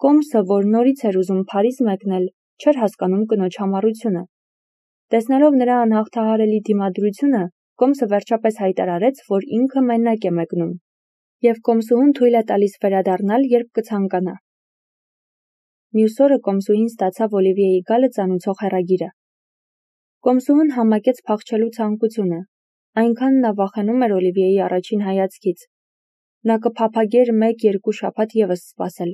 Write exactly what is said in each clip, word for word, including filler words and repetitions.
Կոմսը, որ նորից էր ուզում Փարիզ մեկնել, չէր հասկանում կնոջ համառությունը։ Տեսնելով նրա անհաղթահարելի դիմադրությունը, Կոմսը վերջապես հայտարարեց, որ ինքը մենակ է մեկնում, և Կոմսուհուն թույլ է տալիս վերադառնալ, երբ կցանկանա։ Մյուս օրը Կոմսուհին ստացավ Օլիվիեի գալը ծանուցող հեռագիրը։ Կոմսուհուն համակեց փախչելու ցանկությունը, այնքան նա վախենում էր Օլիվիեի առաջին հայացքից։ Նա կփափագեր մեկ-երկու շաբաթ ևս սպասել։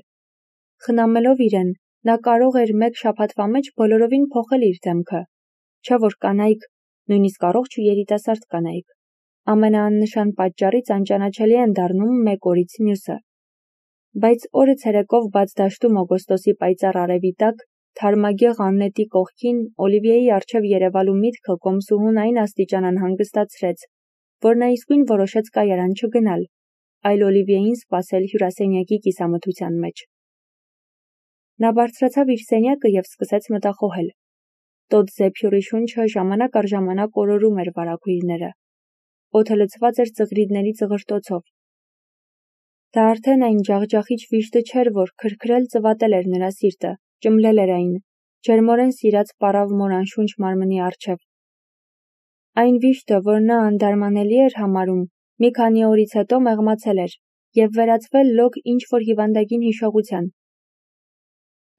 Խնամելով իրեն, նա կարող էր մեկ շաբաթվա մեջ բոլորովին փոխել իր դեմքը, չէ որ կանայք, նույնիսկ առողջ ու երիտասարդ կանայք, ամենաաննշան պատճառից անճանաչելի են դառնում մեկ օրից մյուսը։ Բայց օրը ցերեկով բաց դաշտում օգոստոսի պայծառ արևի տակ, թարմագեղ Աննետի կողքին Օլիվիեի առջև երևալու միտքը Կոմսուհուն այն աստիճան անհանգստացրեց, որ նա իսկույն որոշեց կայարան չգնալ, այլ Օլիվիեին սպասել հյուրասենյակի կիսամթության մեջ։ Նա բարձրացավ իր սենյակը և սկսեց մտախոհել։ Տոտ զեփյուռի շունչը ժամանակ առ ժամանակ օրորում էր վարագույրները։ Օդը լցված էր ծղրիդների ծղրտոցով։ Դա արդեն այն ջախջախիչ վիշտը չէր, որ քրքրել ծվատել էր նրա սիրտը, ճմլել էր այն, ջերմորեն սիրած պարավ մոր անշունչ մարմնի առջև։ Այն վիշտը, որ նա անդարմանելի էր համարում, մի քանի օրից հետո մեղմացել էր և վերածվել լոկ ինչ-որ հիվանդագին հիշողության։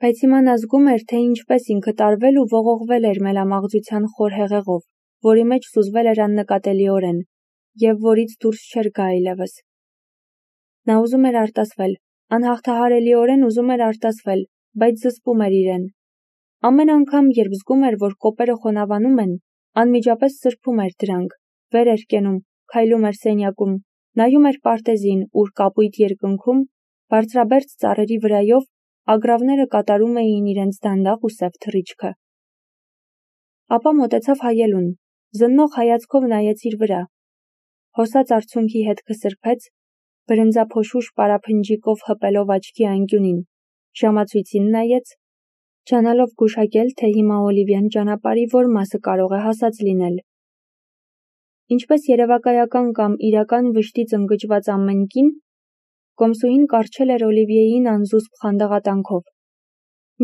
Բայց հիմա նա զգում էր, թե ինչպես ինքը տարվել ու ողողվել էր մելամաղձության խոր հեղեղով, որի մեջ սուզվել էր աննկատելիորեն, և որից դուրս չէր գա այլևս։ Նա ուզում էր արտասվել, անհաղթահարելիորեն ուզում էր արտասվել, բայց զսպում էր իրեն։ Ամեն անգամ, երբ զգում էր, որ կոպերը խոնավանում են, անմիջապես սրբում էր դրանք, վեր էր կենում, քայլում էր սենյակում, նայում էր պարտեզին, ուր կապույտ երկնքում, բարձրաբերձ ծառերի վրայով, ագռավները կատարում էին իրենց դանդաղ ու սև թռիչքը։ Ապա մոտեցավ հայելուն, զննող հայացքով նայեց իր վրա։ Հոսած արցունքի հետքը սրբեց, բրնձափոշուշ պարափնջիկով հպելով աչքի անկյունին, ժամացույցին նայեց, ջանալով գուշակել, թե հիմա Օլիվիան ճանապարհի որ մասը կարող է հասած լինել։ Ինչպես երևակայական կամ իրական վշտից ընկճված ամեն կին, Կոմսուհին կառչել էր Օլիվիեին անզուսպ խանդաղատանքով։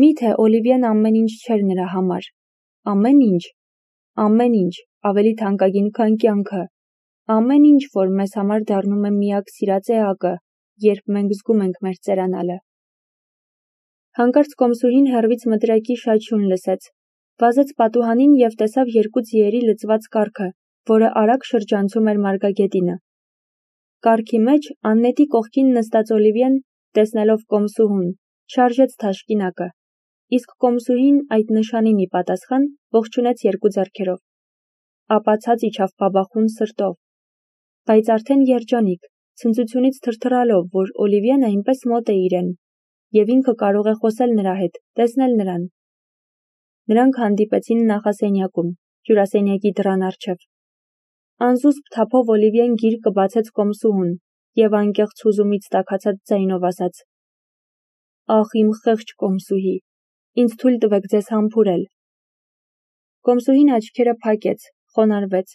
Միթե Օլիվիան ամեն ինչ չէր նրա համար։ Ամեն ինչ, ամեն ինչ, ավելի թանկագին, քան կյանքը, ամեն ինչ, որ մեզ համար դառնում է միակ սիրած էակը, երբ մենք զգում ենք մեր ծերանալը։ Հանկարծ Կոմսուհին հեռվից մտրակի շաչյուն լսեց, վազեց պատուհանին և տեսավ երկու ձիերի լցված կառքը, որը արագ շրջանցում էր մարգագետինը։ Կառքի մեջ Աննետի կողքին նստած Օլիվիան, տեսնելով Կոմսուհուն, շարժեց թաշկինակը, իսկ Կոմսուհին այդ նշանին ի պատասխան ողջունեց երկու ձեռքերով։ Ապա ցած իջավ բաբախուն սրտով, բայց արդեն երջանիկ, ցնծությունից թրթռալով, որ Օլիվիան այնպես մոտ է իրեն, և ինքը կարող է խոսել նրա հետ, տեսնել նրան։ Նրանք հանդիպեցին նախասենյակում, հյուրասենյակի դռան առջև։ Անզուսպ թափով Օլիվիան գիրկը բացեց Կոմսուհուն և անկեղծ հուզումից տաքացած ձայնով ասաց. «Ախ, իմ խեղճ Կոմսուհի, ինձ թույլ տվեք ձեզ համբուրել»։ Կոմսուհին աչքերը փակեց, խոնարհվեց,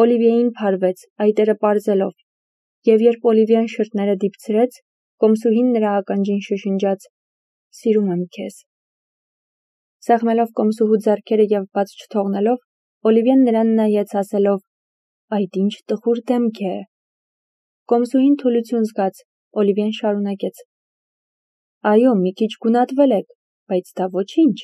Օլիվիեին փարվեց, այտերը պարզելով, և երբ Օլիվիան շրթները դիպցրեց, Կոմսուհին նրա ականջին շշնջաց. «Սիրում եմ քեզ»։ Սեղմելով Կոմսուհու ձեռքերը և բաց չթողնելով, Օլիվիան նրան նայեց ասելով. «Այդ ինչ տխուր դեմք է»։ Կոմսուհին թուլություն զգաց, Օլիվիան շարունակեց. «Այո, մի քիչ գունատվել եք, բայց դա ոչինչ»։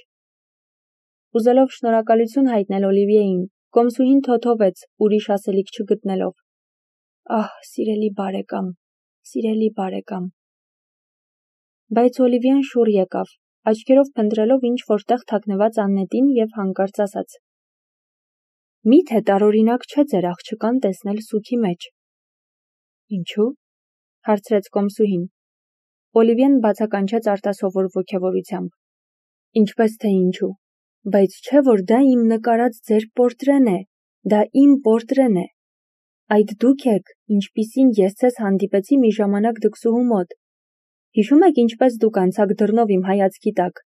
Ուզելով շնորհակալություն հայտնել Օլիվիեին, Կոմսուհին թոթովեց, ուրիշ ասելիք չգտնելով. «Ահ, սիրելի բարեկամ, սիրելի բարեկամ»։ Բայց Օլիվիան շուռ եկավ, աչքերով փնտրելով ինչ-որ տեղ թաքնված Աննետին և հանկարծ ասաց. «Միթե տարօրինակ չէ ձեր աղջկան տեսնել սուգի մեջ»։ «Ինչու՞», հարցրեց Կոմսուհին։ Օլիվիան բացականչեց արտասովոր ոգևորությամբ. «Ինչպես թե ինչու, բայց չէ որ դա իմ նկարած ձեր պորտրեն է, դա իմ պորտրեն է։ Այդ դուք եք, ինչպիսին ես ձեզ հանդիպեցի մի ժամանակ դքսուհու մոտ։ Հիշում եք ինչպես դուք անցաք դռնով իմ հայացքի տակ,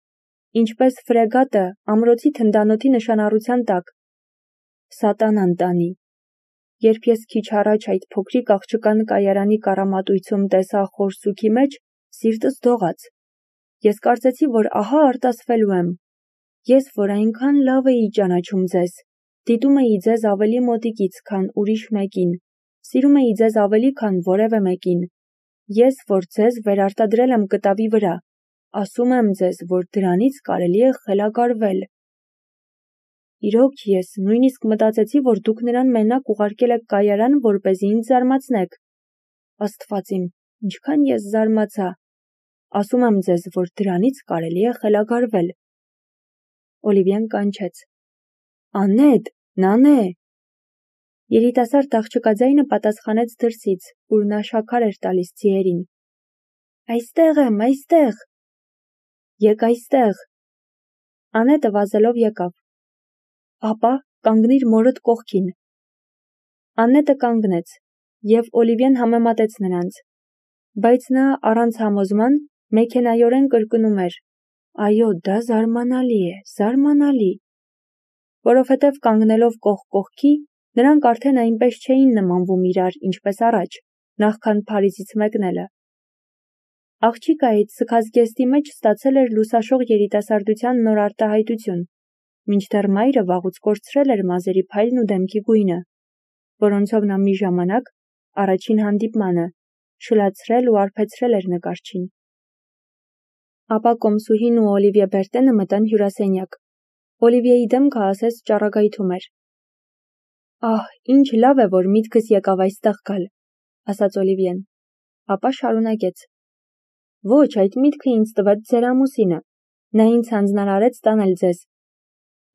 ինչպես ֆրեգատը ամրոցի թնդանոթի նշանառության տակ։ Սատանան տանի։ Երբ ես քիչ առաջ այդ փոքրիկ աղջկան կայարանի կառամատույցում տեսա խոր սուգի մեջ, սիրտս դողաց։ Ես կարծեցի, որ ահա արտասվելու եմ։ Ես, որ այնքան լավ էի ճանաչում ձեզ, դիտում էի ձեզ ավելի մոտիկից, քան ուրիշ մեկին, սիրում էի ձեզ ավելի, քան որևէ մեկին։ Ես, որ ձեզ վերարտադրել եմ կտավի վրա, ասում եմ ձեզ, որ դրանից կարելի է խելագարվել։ Իրոք ես նույնիսկ մտածեցի, որ դուք նրան մենակ ուղարկել եք կայարան, որպեսզի ինձ զարմացնեք։ Աստված իմ, ինչքան ես զարմացա։ Ասում եմ ձեզ, որ դրանից կարելի է խելագարվել։ Օլիվիան կանչեց. Անետ, Նանե։ Երիտասարդ աղջկա ձայնը պատասխանեց դրսից, ուր նա շաքար էր տալիս ձիերին։ Այստեղ եմ, այստեղ։ Եկ այստեղ։ Անետը վազելով եկավ։ Ապա կանգնիր մորդ կողքին։ Անետը կանգնեց, և Օլիվիան համեմատեց նրանց, բայց նա առանց համոզման մեքենայորեն կրկնում էր. Այո, դա զարմանալի է, զարմանալի։ Որովհետև կանգնելով կողք կողքի, նրանք արդեն այնպես չէին նմանվում իրար, ինչպես առաջ, նախքան Փարիզից մեկնելը։ Աղջիկը այդ սգազգեստի մեջ ստացել էր լուսաշող երիտասարդության նոր արտահայտություն, մինչդեռ մայրը վաղուց կորցրել էր մազերի փայլն ու դեմքի գույնը, որոնցով նա մի ժամանակ, առաջին հանդիպմանը, շլացրել ու արբեցրել էր նկարչին։ Ապա Կոմսուհին ու Օլիվիե Բերտենը մտան հյուրասենյակ։ Օլիվիեի դեմքը ասես ճառագայթում էր։ Ահ, ինչ լավ է, որ միտքս եկավ այստեղ գալ, ասաց Օլիվիեն։ Ապա շարունակեց. Ոչ, այդ միտքը ինձ տվեց ձեր ամուսինը։ Նա ինձ հանձնարարեց տանել ձեզ։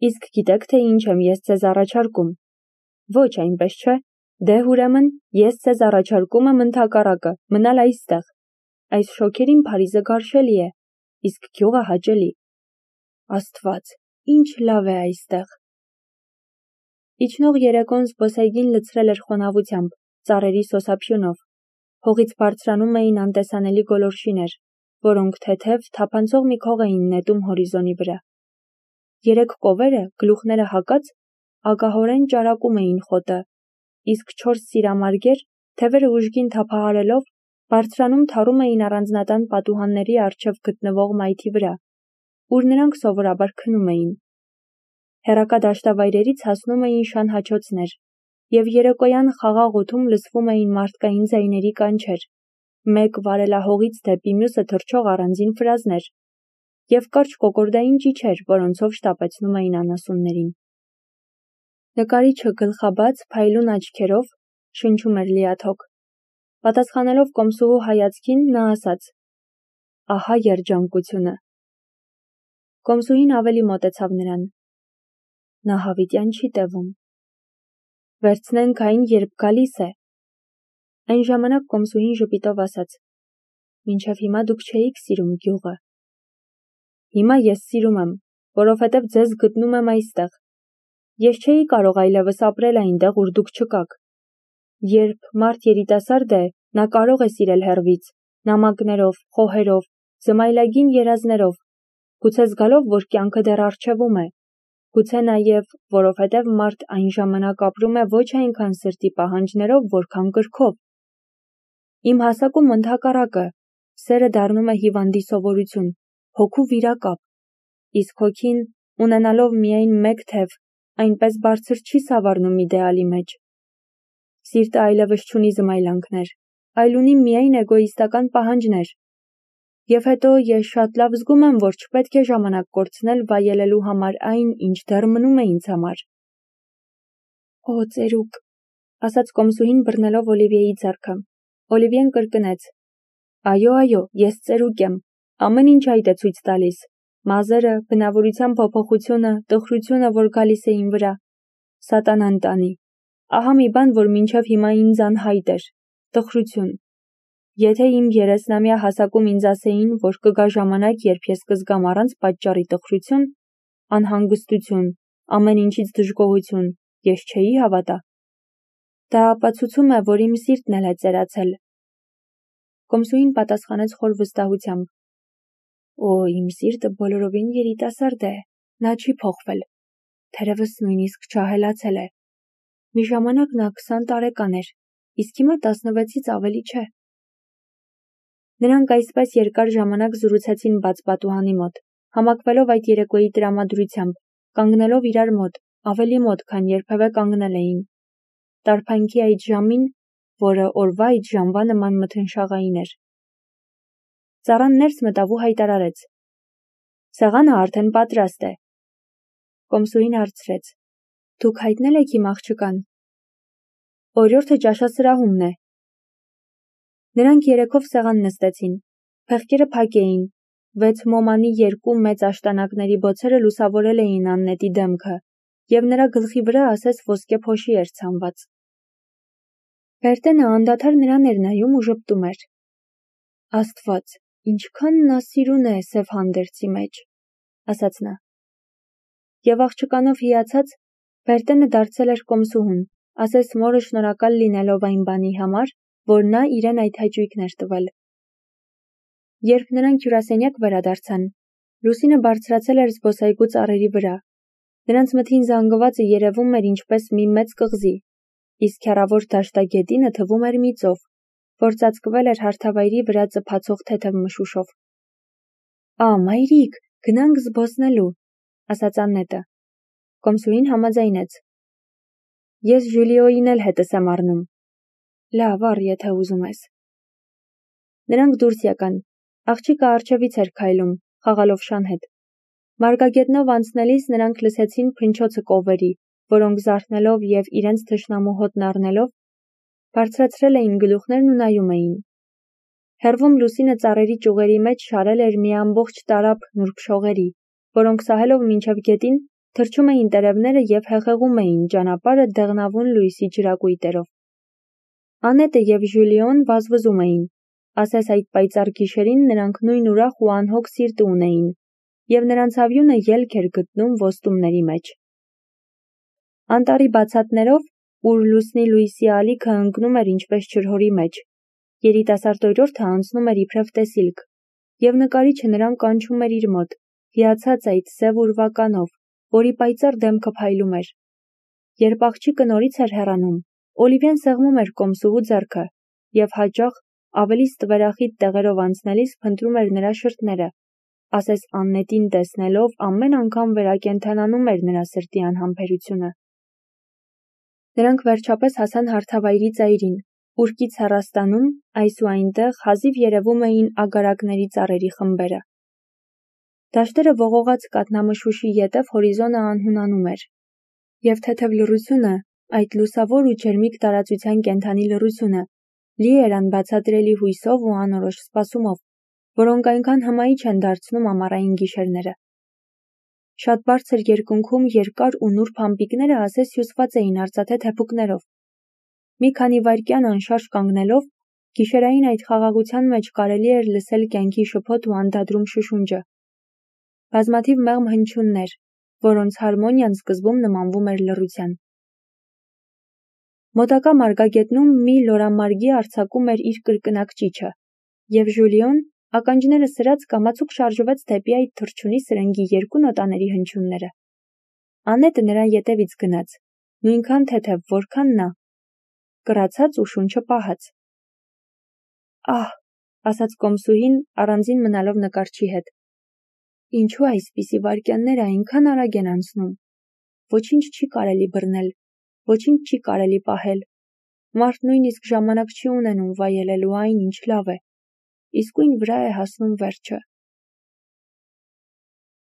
Իսկ գիտեք, թե ինչ եմ ես ձեզ առաջարկում։ Ոչ, այնպես չէ։ Դե ուրեմն, ես ձեզ առաջարկում եմ ընդհակառակը, մնալ այստեղ։ Այս շոգերին Փարիզը գարշելի է, իսկ գյուղը հաճելի։ Աստված, ինչ լավ է այստեղ։ Իջնող երեկոն զբոսայգին լցրել էր խոնավությամբ, ծառերի սոսափյունով։ Հողից բարձրանում էին անտեսանելի գոլորշիներ, որոնք թեթև, թափանցող մի քող էին նետում հորիզոնի վրա։ Երեք կովերը, գլուխները հակած, ագահորեն ճարակում էին խոտը, իսկ չորս սիրամարգեր, թևերը ուժգին թափահարելով, բարձրանում թառում էին առանձնատան պատուհանների առջև գտնվող մայթի վրա, ուր նրանք սովորաբար քնում էին։ Հեռակա դաշտավայրերից հասնում էին շան հաչոցներ, և երեկոյան խաղաղ օդում լսվում էին մարդկային ձայների կանչեր, մեկ վարելահողից դեպի մյուսը թռչող առանձին ֆրազներ, և կարճ կոկորդային ճիչեր, որոնցով շտապեցնում էին անասուններին։ Նկարիչը գլխաբաց, փայլուն աչքերով շնչում էր լիաթոք։ Պատասխանելով Կոմսուհու հայացքին, նա ասաց. Ահա երջանկությունը։ Կոմսուհին ավելի մոտեցավ նրան։ Նա հավիտյան չի տևում։ Վերցնենք այն, երբ գալիս է։ Այն ժամանակ Կոմսուհին ժպիտով ասաց. Մինչև հիմա դուք չէիք սիրում գյուղը։ Հիմա ես սիրում եմ, որովհետև ձեզ գտնում եմ այստեղ։ Ես չէի կարող այլևս ապրել այնտեղ, ուր դուք չկաք։ Երբ մարդ երիտասարդ է, նա կարող է սիրել հեռվից, նամակներով, խոհերով, զմայլագին երազներով, գուցե զգալով, որ կյանքը դեռ առջևում է, գուցե նաև, որովհետև մարդ այն ժամանակ ապրում է ոչ այնքան սրտի պահանջներով, որքան կրքով։ Իմ հասակում ընդհակառակը, սերը դառնում է հիվանդի սովորություն, հոգու վիրակապ, իսկ հոգին, ունենալով միայն մեկ թև, այնպես բարձր չի սավառնում իդեալի մեջ։ Սիրտը այլևս չունի զմայլանքներ, այլ ունի միայն էգոիստական պահանջներ։ Եվ հետո ես շատ լավ զգում եմ, որ չպետք է ժամանակ կորցնել վայելելու համար այն, ինչ դեռ մնում է ինձ համար։ Օ, ծերուկ, ասաց Կոմսուհին բռնելով Օլիվիեի ձեռքը։ Օլիվիեն կրկնեց. Այո, այո, ես ծերուկ եմ, ամեն ինչ այդ է ցույց տալիս։ Մազերը, բնավորության փոփոխությունը, տխրությունը, որ գալիս է իմ վրա։ Սատանան տանի։ Ահա մի բան, որ մինչև հիմա ինձ անհայտ էր։ Տխրություն։ Եթե իմ երեսնամյա հասակում ինձ ասեին, որ կգա ժամանակ, երբ ես կզգամ առանց պատճառի տխրություն, անհանգստություն, ամեն ինչից դժգոհություն, ես չէի հավատա։ Դա ապացուցում է, որ իմ սիրտն էլ է ծերացել։ Կոմսուհին պատասխանեց խոր վստահությամբ. Օ, իմ սիրտը բոլորովին երիտասարդ է, նա չի փոխվել, թերևս նույնիսկ չահելացել է։ Մի ժամանակ նա քսան տարեկան էր, իսկ հիմա տասնվեցից ավելի չէ։ Նրանք այսպես երկար ժամանակ զրուցեցին բաց պատուհանի մոտ, համակվելով այդ երեկոյի տրամադրությամբ, կանգնելով իրար մոտ, ավելի մոտ, քան երբևէ կանգնել էին։ Տարփանքի այդ ժամին, որը օրվա այդ ժամվա նման մթնշաղային էր։ Ծառան ներս մտավ ու հայտարարեց. «Սեղանը արդեն պատրաստ է»։ Կոմսուհին հարցրեց. «Դուք հայտնել եք իմ աղջկան»։ «Օրիորդը ճաշասրահումն է»։ Նրանք երեքով սեղան նստեցին, փեղկերը փակ էին, վեց մոմանի երկու մեծ աշտանակների բոցերը լուսավորել էին Աննետի դեմքը, և նրա գլխի վրա ասես ոսկե փոշի էր ցանված։ Բերտենը անդադար նրան էր նայում ու ժպտում էր. «Աստված, ինչքան նա սիրուն է սև հանդերձի մեջ», ասաց նա։ Եվ աղջկանով հիացած, Բերտենը դարձել էր կոմսուհուն, ասես մորը շնորհակալ լինելով այն բանի համար, որ նա իրեն այդ հաճույքն էր տվել։ Երբ նրանք հյուրասենյակ վերադարձան, լուսինը բարձրացել էր զբոսայգու ծառերի վրա։ Նրանց մթին զանգվածը երևում էր ինչպես մի մեծ կղզի, իսկ հեռավոր դաշտագետինը թվում էր մի ծով, որ ծածկվել էր հարթավայրի վրա ծփացող թեթև մշուշով։ «Ա, մայրիկ, գնանք զբոսնելու», ասաց Աննետը։ Կոմսուհին համաձայնեց. «Ես Ժուլիոյին էլ հետս եմ առնում»։ «Լավ, առ, եթե ուզում ես»։ Նրանք դուրս եկան, աղջիկը առջևից էր քայլում, խաղալովշան հետ։ Մարգագետնով անցնելիս նրանք լսեցին փնչոցը կովերի, որոնք զարթնելով և իրենց թշնամու հոտն առնելով, բարձրացրել էին գլուխներն ու նայում էին։ Հեռվում լուսինը ծառերի ճյուղերի մեջ շարել էր մի ամբողջ տարափ նուրբ շողերի, որոնք սահելով մինչև գետին, թռչում էին տերևները և հեղեղում էին ճանապարհը դեղնավուն լույսի ջրակույտերով։ Անետը և Ժուլիոն վազվզում էին, ասես այդ պայծառ գիշերին նրանք նույն ուրախ ու անհոգ սիրտը ունեին, և նրանց ավյունը ելք էր գտնում ոստումների մեջ։ Անտառի բացատներով, ուր լուսնի լույսի ալիքը ընկնում էր ինչպես ջրհորի մեջ, երիտասարդ օրիորդը անցնում էր իբրև տեսիլք, և նկարիչը նրան կանչում էր իր մոտ, հիացած այդ սև ուրվականով, որի պայծառ դեմքը փայլում էր։ Երբ աղջիկը նորից էր հեռանում, Օլիվիան սեղմում էր կոմսուհու ձեռքը և հաճախ, ավելի ստվերախիտ տեղերով անցնելիս փնտրում էր նրա շրթները, ասես Աննետին տեսնելով ամեն անգամ վերակենդանանում էր նրա սրտի անհամբերությունը։ Նրանք վերջապես հասան հարթավայրի ծայրին, ուր կից հեռաստանում, այս ու այնտեղ հազիվ երևում էին ագարակների ծառերի խմբերը։ Դաշտերը ողողած կաթնամշուշի ետև հորիզոնը անհունանում էր, և թեթև լռությունը, այդ լուսավոր ու ջերմիկ տարածության կենդանի լռությունը, լի էր անբացատրելի հույսով ու անորոշ սպասումով, որոնք այնքան հմայիչ են դարձնում ամառային գիշերները։ Շատ բարձր երկնքում երկար ու նուրբ ամպիկները ասես հյուսված էին արծաթե թեփուկներով։ Մի քանի վայրկյան անշարժ կանգնելով, գիշերային այդ խաղաղության մեջ կարելի էր լսել կյանքի շփոթ ու անդադրում շշունջը։ Բազմաթիվ մեղմ հնչյուններ, որոնց հարմոնիան սկզբում նմանվում էր լռության։ Մոտակա մարգագետնում մի լորամարգի արձակում էր իր կրկնակ ճիչը, և Ժուլիոն, ականջները սրած, կամացուկ շարժվեց դեպի այդ թռչունի սրնգի երկու նոտաների հնչյունները։ Անետը նրա ետևից գնաց, նույնքան թեթև, որքան նա, կռացած ու շունչը պահած։ «Ահ», ասաց կոմսուհին, առանձին մնալով նկարչի հետ, «ինչու այսպիսի վայրկյանները այնքան արագ են անցնում։ Ոչինչ չի կարելի բռնել, ոչինչ չի կարելի պահել։ Մարդ նույնիսկ ժամանակ չի ունենում վայելելու այն, ինչ լավ է։ Իսկույն վրա է հասնում վերջը»։